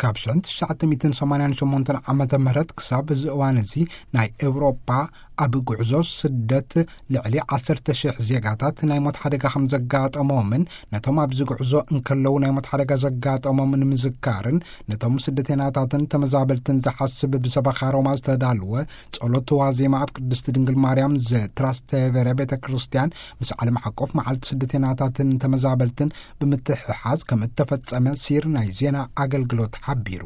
ካብ ሽሕን ትሽዓተ ሚእትን ሰማንያን ሸሞንተን ዓመተ ምህረት ክሳብ እዚ እዋን እዚ፣ ናይ ኤውሮጳ ኣብ ጉዕዞ ስደት ልዕሊ ዓሰርተ ሽሕ ዜጋታት ናይ ሞት ሓደጋ ከም ዘጋጠሞምን፣ ነቶም ኣብዚ ጉዕዞ እንከለዉ ናይ ሞት ሓደጋ ዘጋጠሞም ንምዝካርን፣ ነቶም ስደተናታትን ተመዛበልትን ዝሓስብ ብሰበኻ ሮማ ዝተዳልወ ጸሎት ዋዜማ ኣብ ቅድስቲ ድንግል ማርያም ዘትራስተቨረ ቤተ ክርስቲያን ምስ ዓለም ሓቆፍ መዓልቲ ስደተናታትን ተመዛበልትን ብምትሕሓዝ ከም እተፈጸመ ሲር ናይ ዜና ኣገልግሎት ሓቢሩ።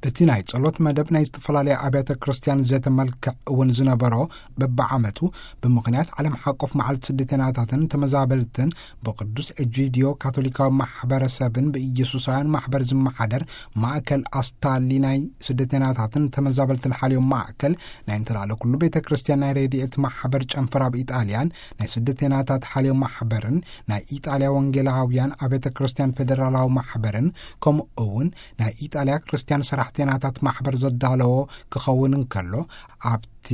እቲ ናይ ጸሎት መደብ ናይ ዝተፈላለያ ኣብያተ ክርስቲያን ዘተ መልክዕ እውን ዝነበሮ፣ በብዓመቱ ብምኽንያት ዓለም ሓቆፍ መዓልቲ ስደተናታትን ተመዛበልትን ብቅዱስ ኤጂዲዮ ካቶሊካዊ ማሕበረሰብን ብኢየሱሳውያን ማሕበር ዝመሓደር ማእከል ኣስታሊ ናይ ስደተናታትን ተመዛበልትን ሓልዮም ማእከል ናይ እንተላለ ኩሉ ቤተ ክርስቲያን ናይ ረድኤት ማሕበር ጨንፈር ኣብ ኢጣልያን ናይ ስደተናታት ሓልዮም ማሕበርን ናይ ኢጣልያ ወንጌላውያን ኣብያተ ክርስቲያን ፌደራላዊ ማሕበርን ከምኡ እውን ናይ ኢጣልያ ክርስቲያን ሰራሕተናታት ማሕበር ዘዳለዎ ክኸውን እንከሎ፣ ኣብቲ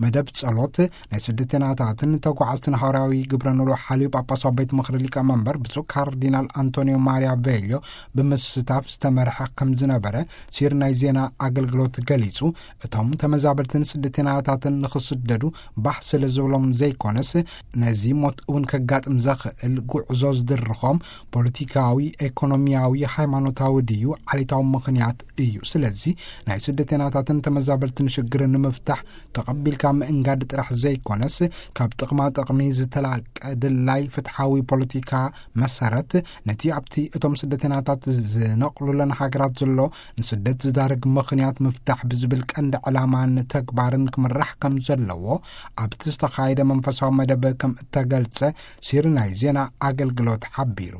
መደብ ጸሎት ናይ ስደተናታትን ተጓዓዝትን ሃዋርያዊ ግብረ ኖሎ ሓልዩ ጳጳሳዊ ቤት ምኽሪ ሊቀመንበር ብፁዕ ካርዲናል ኣንቶኒዮ ማሪያ ቬልዮ ብምስታፍ ዝተመርሐ ከም ዝነበረ ሲር ናይ ዜና ኣገልግሎት ገሊጹ። እቶም ተመዛበልትን ስደተናታትን ንኽስደዱ ባህ ስለ ዝብሎም ዘይኮነስ፣ ነዚ ሞት እውን ከጋጥም ዘኽእል ጉዕዞ ዝድርኾም ፖለቲካዊ፣ ኤኮኖሚያዊ፣ ሃይማኖታዊ ድዩ ዓሌታዊ ምኽንያት እዩ። ስለዚ ናይ ስደተናታትን ተመዛበልትን ሽግር ንምፍታሕ ተቐቢልካ ምእንጋድ ጥራሕ ዘይኮነስ፣ ካብ ጥቕማ ጥቕሚ ዝተላቀ ድላይ ፍትሓዊ ፖለቲካ መሰረት፣ ነቲ ኣብቲ እቶም ስደተናታት ዝነቕሉለን ሃገራት ዘሎ ንስደት ዝዳርግ ምኽንያት ምፍታሕ ብዝብል ቀንዲ ዕላማን ተግባርን ክምራሕ ከም ዘለዎ ኣብቲ ዝተኻየደ መንፈሳዊ መደብ ከም እተገልጸ ሲር ናይ ዜና ኣገልግሎት ሓቢሩ።